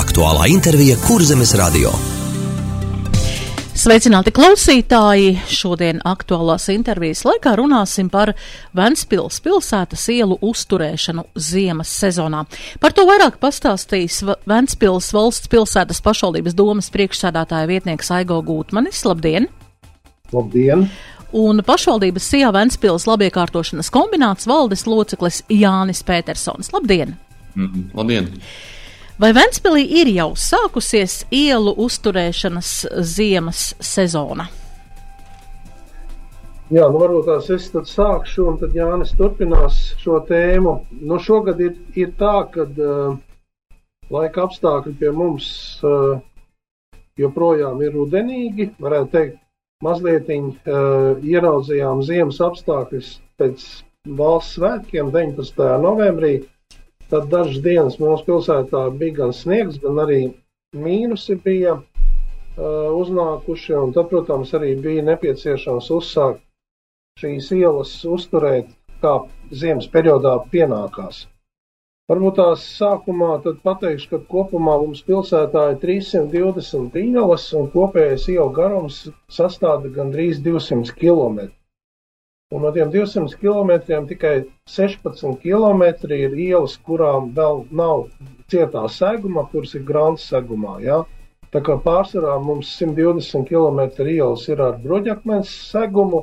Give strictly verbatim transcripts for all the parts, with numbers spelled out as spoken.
Aktuālā intervija Kurzemes radio. Sveicināti klausītāji! Šodien aktuālās intervijas laikā runāsim par Ventspils pilsētas ielu uzturēšanu ziemas sezonā. Par to vairāk pastāstīs Ventspils valsts pilsētas pašvaldības domes priekšsēdētāja vietnieks Aigo Gūtmanis. Labdien! Labdien! Un pašvaldības Sijā Ventspils labiekārtošanas kombināts valdes loceklis Jānis Pētersons. Labdien! Mm, labdien! Vai Ventspilī ir jau sākusies ielu uzturēšanas ziemas sezona? Jā, nu varbūt tās es tad sākšu, un tad Jānis turpinās šo tēmu. Nu šogad ir, ir tā, kad uh, laika apstākļi pie mums uh, joprojām ir rudenīgi, varētu teikt, mazlietiņ uh, ieraudzījām ziemas apstākļus pēc valsts svētkiem deviņpadsmitajā novembrī. Tad dažas dienas mūsu pilsētā bija gan sniegs, gan arī mīnusi bija uh, uznākuši, un tad, protams, arī bija nepieciešams uzsākt šīs ielas uzturēt, kā ziemas periodā pienākās. Varbūt tās sākumā tad pateikšu, ka kopumā mums pilsētā ir trīssimt divdesmit ielas, un kopējais ielu garums sastāda gandrīz divsimt kilometru. Un no tiem divsimt kilometriem tikai sešpadsmit kilometri ir ielas, kurām vēl nav cietā seguma, kuras ir grants segumā. Ja? Tā kā pārsvarā mums simt divdesmit kilometri ielas ir ar bruģakmens segumu,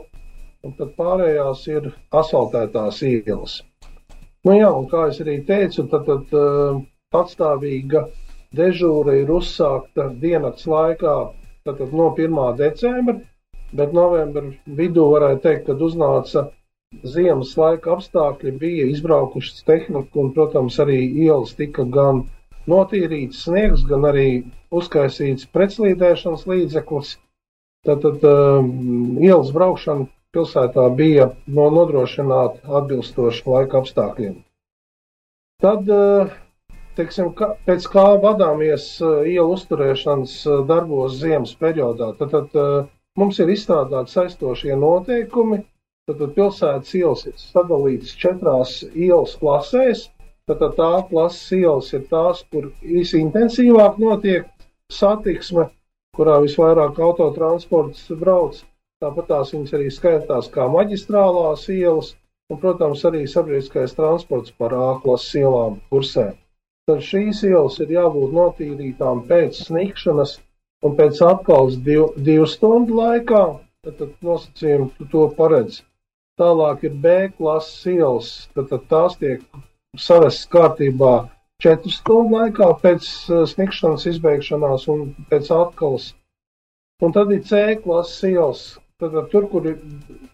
un tad pārējās ir asfaltētās ielas. Nu jā, un kā es arī teicu, tad, tad uh, patstāvīga dežūra ir uzsākta diennakts laikā tad, tad no pirmā decembra. Bet novembra vidū varētu teikt, kad uznāca ziemas laika apstākļi, bija izbraukušas tehnika un, protams, arī ielas tika gan notīrīts sniegs, gan arī uzkaisīts pretslīdēšanas līdzeklis. Tātad uh, ielas braukšana pilsētā bija no nodrošināta atbilstoši laika apstākļiem. Tad, uh, teiksim, ka, pēc kā vadāmies uh, ielu uzturēšanas uh, darbos ziemas periodā, tad, tad uh, mums ir izstrādāti saistošie noteikumi, tad pilsētas ielas ir sadalītas četrās ielas klasēs, tad tā klases ielas ir tās, kur visintensīvāk notiek satiksme, kurā visvairāk autotransports brauc, tāpat tās viņas arī skaitās kā maģistrālās ielas, un, protams, arī sabiedriskais transports par A klases ielām kursē. Tad šīs ielas ir jābūt notīrītām pēc snikšanas, un pēc apkals div, divu stundu laikā, tad, tad nosacījumi to paredz. Tālāk ir B klases ielas, tad, tad tās tiek savestas kārtībā četru stundu laikā pēc uh, snikšanas izbeigšanās un pēc apkals. Un tad ir C klases ielas, tad, tad tur, kur ir,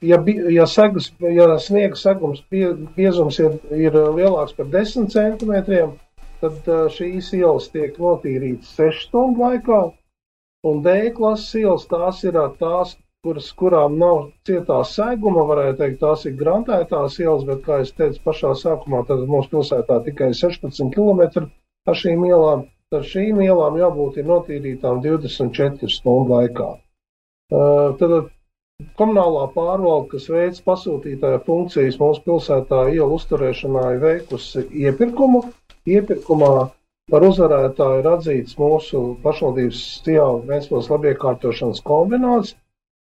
ja, ja, segas, ja sniega segums pie, biezums ir, ir lielāks par desmit centimetriem, tad uh, šīs ielas tiek notīrītas sešu stundu laikā. Un D klases ielas tās ir tās, kuras, kurām nav cietā seguma, varētu teikt, tās ir grantētās ielas, bet, kā es teicu pašā sākumā, tad mūsu pilsētā tikai sešpadsmit kilometri ar šīm ielām, tad šīm ielām jābūt ir notīrītām divdesmit četru stundu laikā. Uh, tad komunālā pārvalde, kas veic pasūtītāja funkcijas mūsu pilsētā ielu uzturēšanā, ir veikusi iepirkumu. Iepirkumā par uzvarētāju ir atzīts mūsu pašvaldības Sijā Ventspils labiekārtošanas kombināts,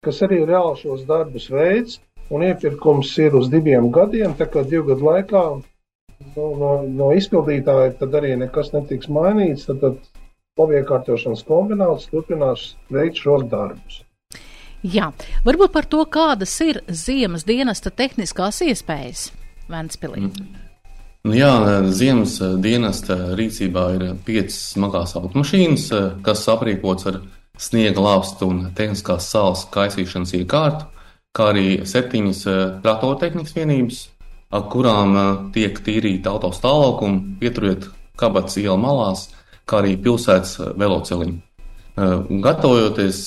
kas arī reāli šos darbus veids, un iepirkums ir uz diviem gadiem, tā kā divu gadu laikā no, no, no izpildītāja tad arī nekas netiks mainīts, tad, tad labiekārtošanas kombināts turpinās veikt šos darbus. Jā, varbūt par to, kādas ir ziemas dienesta tehniskās iespējas Ventspilī. Mm. Jā, ziemas dienesta rīcībā ir piecas smagās automašīnas, kas aprīkots ar sniega lāpstu un tehniskās sāls kaisīšanas iekārtu, kā arī septiņas tratortehnikas vienības, ar kurām tiek tīrīta auto stāvlaukuma, pieturiet kabatas iela malās, kā arī pilsētas veloceliņi. Gatavojoties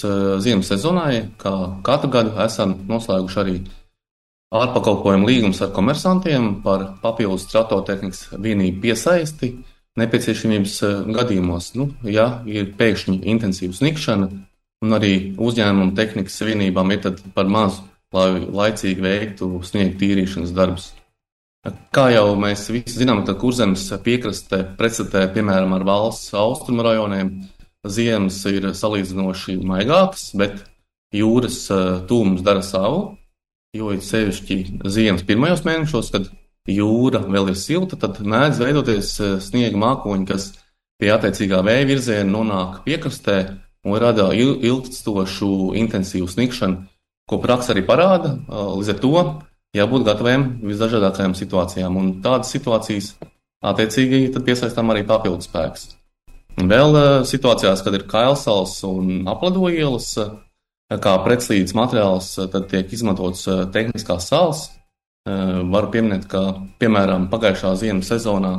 ziemas sezonai, kā katru gadu esam noslēguši arī ārpakalpojumu līgums ar komersantiem par papildus tratortehnikas vienību piesaisti nepieciešamības gadījumos, nu, ja ir pēkšņi intensīva snikšana un arī uzņēmuma tehnikas vienībām ir tad par mazu, lai laicīgi veiktu sniega tīrīšanas darbus. Kā jau mēs visi zinām, tad Kurzemes piekraste pretstatē, piemēram, ar valsts austrumu rajoniem, ziemas ir salīdzinoši maigākas, bet jūras tūms dara savu, jo ir sevišķi ziemas pirmajos mēnešos, kad jūra vēl ir silta, tad mēdz veidoties sniega mākoņi, kas pie attiecīgā vēja virziena nonāk piekrastē un rada ilgstošu intensīvu sniegšanu, ko praksa arī parāda. Līdz ar to jābūt gataviem visdažādākajām situācijām, un tādas situācijas attiecīgi tad piesaistām arī papildus spēks. Vēl situācijās, kad ir kailsals un aplado ielas, kā pretslīdes materiāls, tad tiek izmantots tehniskās sāls. Varu pieminēt, ka, piemēram, pagājušā ziemas sezonā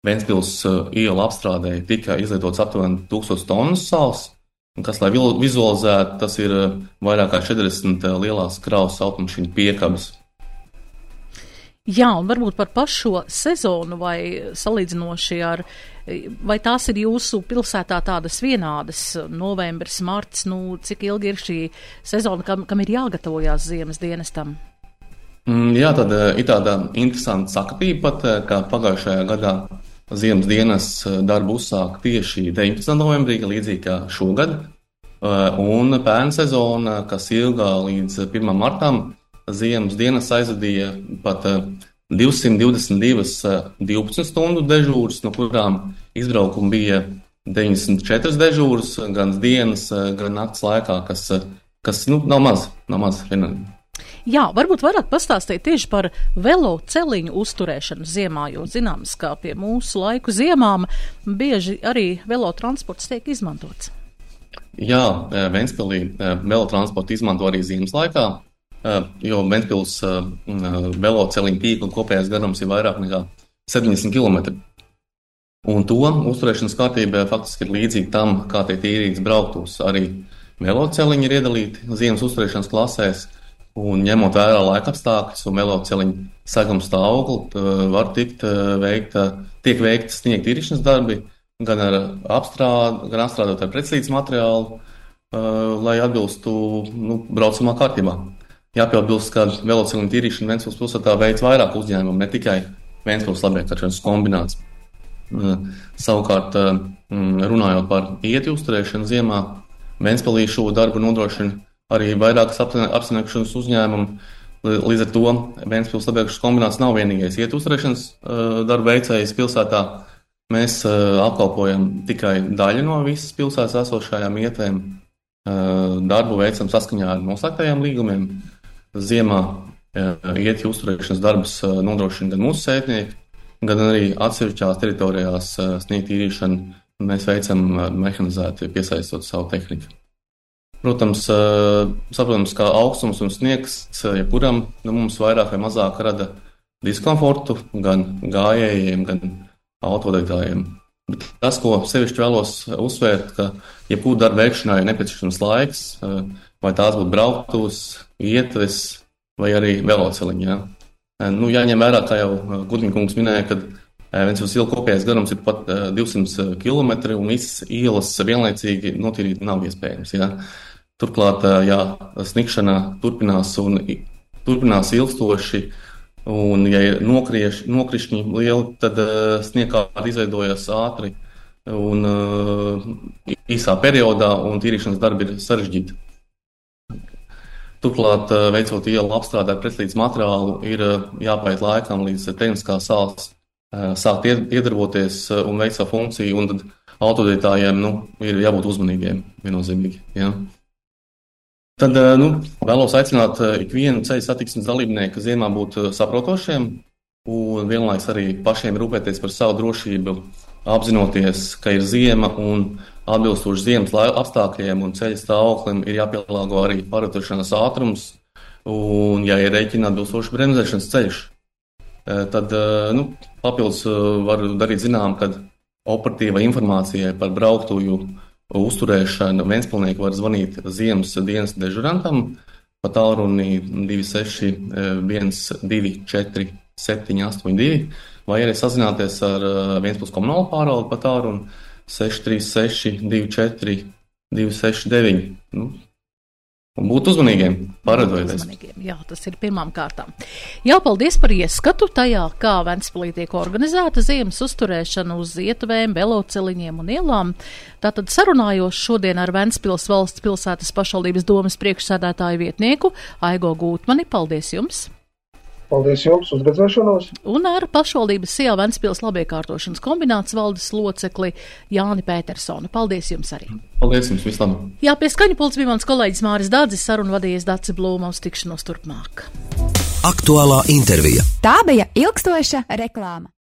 Ventspils iela apstrādē tika izlietots aptuveni tūkstoš tonnas sāls, kas, lai vizualizētu, tas ir vairāk kā četrdesmit lielās kravas automašīnu piekabes. Jā, un varbūt par pašo sezonu vai salīdzinoši ar, vai tās ir jūsu pilsētā tādas vienādas, novembris, marts, nu, cik ilgi ir šī sezona, kam, kam ir jāgatavojās ziemas dienestam? Jā, tad ir tāda interesanta sakatība pat, ka pagājušajā gadā ziemas dienas darbu uzsāk tieši deviņpadsmitā novembrī, līdzīgi kā šogad, un pērn sezona, kas ilgā līdz pirmajam martam, ziemas dienas aizvadīja pat divsimt divdesmit divas divpadsmit stundu dežūras, no kurām izbraukumi bija deviņdesmit četras dežūras, gan dienas, gan nakts laikā, kas, kas nu, nav maz, nav maz vienam. Jā, varbūt vairāk pastāstīt tieši par velo celiņu uzturēšanu ziemā, jo zināms, ka pie mūsu laiku ziemām bieži arī velo transports tiek izmantots. Jā, Ventspilī velo transportu izmanto arī ziemas laikā, jo Ventspils velo celiņu tīkla kopējais garums ir vairāk nekā septiņdesmit kilometri. Un to uzturēšanas kārtība faktiski ir līdzīga tam, kā tiek tīrīts brauktos. Arī velo celiņi ir iedalīti ziemas uzturēšanas klasēs. Un ņemot vērā laika apstākļus un veloceliņu seguma stāvokli, var tikt veikta, tiek veikta sniega tīrīšanas darbi, gan ar apstrād, gan apstrādot ar pretslīdes materiālu, lai atbilstu nu, braucamā kārtībā. Jāpiebilst, ka veloceliņu tīrīšana Ventspils pilsētā veids vairāk uzņēmumu, ne tikai Ventspils labiekāršanas kombināts. Savukārt, runājot par ieti uzturēšanu ziemā, Ventspilī šo darbu nodrošina arī vairākas apsaimniekošanas uzņēmumu. Līdz ar to Ventspils labiekāršanas kombināts nav vienīgais iet uzturēšanas darba veicējs pilsētā. Mēs apkalpojam tikai daļu no visas pilsētas esošajām ietēm. Darbu veicam saskaņā ar noslēgtajiem līgumiem. Ziemā ieti uzturēšanas darbus nodrošina gan mūsu sētnieki, gan arī atsevišķās teritorijās sniegt tīrīšanu. Mēs veicam mehanizēti, piesaistot savu tehniku. Protams, saprotams, ka augstums un sniegs jebkuram nu, mums vairāk vai mazāk rada diskomfortu gan gājējiem, gan autovadītājiem. Bet tas, ko sevišķi vēlos uzsvērt, ka jebkuru darbu veikšanai ir nepieciešams laiks, vai tās būtu brauktuves, ietves vai arī veloceliņi. Ja? Nu, jāņem vērā, kā jau Gudņikungs minēja, kad Ventspils iela kopējais garums ir pat divsimt kilometri un visas ielas vienlaicīgi notīrīt nav iespējams. Ja? Turklāt, ja sniegšana turpinās un turpinās ilgstoši, un ja ir nokrieš, nokrišņi lieli, tad uh, sniegkārta izveidojas ātri un uh, īsā periodā, un tīrīšanas darbi ir sarežģīti. Turklāt, uh, veicot ielu apstrādē pretslīdes materiālu, ir uh, jāpaiet laikam līdz tehniskā sāls uh, sākt iedarboties uh, un veikt savu funkciju, un tad autovadītājiem nu, ir jābūt uzmanīgiem viennozīmīgi. Ja? Tad nu, vēlos aicināt ikvienu ceļu satiksmes dalībnieku ziemā būt saprotošiem un vienlaiks arī pašiem rūpēties par savu drošību, apzinoties, ka ir ziema un atbilstoši ziemas apstākļiem un ceļa stāvoklim ir jāpielāgo arī pārvietošanās ātrums un jāierēķina atbilstoši bremzēšanas ceļš. Tad nu, papildus var darīt zinām, ka operatīva informācija par brauktuju uzturēšanu Ventspilnieki var zvanīt ziemas dienas dežurantam pa tālruni divi seši viens divi četri septiņi astoņi divi vai arī sazināties ar Ventspils komunālo pārvaldi pa tālruni seši trīs seši divi četri divi seši deviņi. Nu, Un būt uzmanīgiem, paredojoties. Jā, tas ir pirmām kārtām. Jā, paldies par ieskatu tajā, kā Ventspilī tiek organizēta ziemas uzturēšana uz ietuvēm, veloceliņiem un ielām. Tātad sarunājos šodien ar Ventspils valsts pilsētas pašvaldības domes priekšsēdētāju vietnieku Aigo Gūtmani. Paldies jums! Paldies jums, uz redzēšanos! Un ar pašvaldības Sijā Ventspils labiekārtošanas kombināts valdes locekli Jāni Pētersonu. Paldies jums arī! Paldies jums, vislabāk! Jā, pie skaņu pults bija mans kolēģis Māris Dādzis, sarunu vadījies Dace Blūma, uz tikšanos turpmāk. Aktuālā intervija. Tā bija ilgstoša reklāma.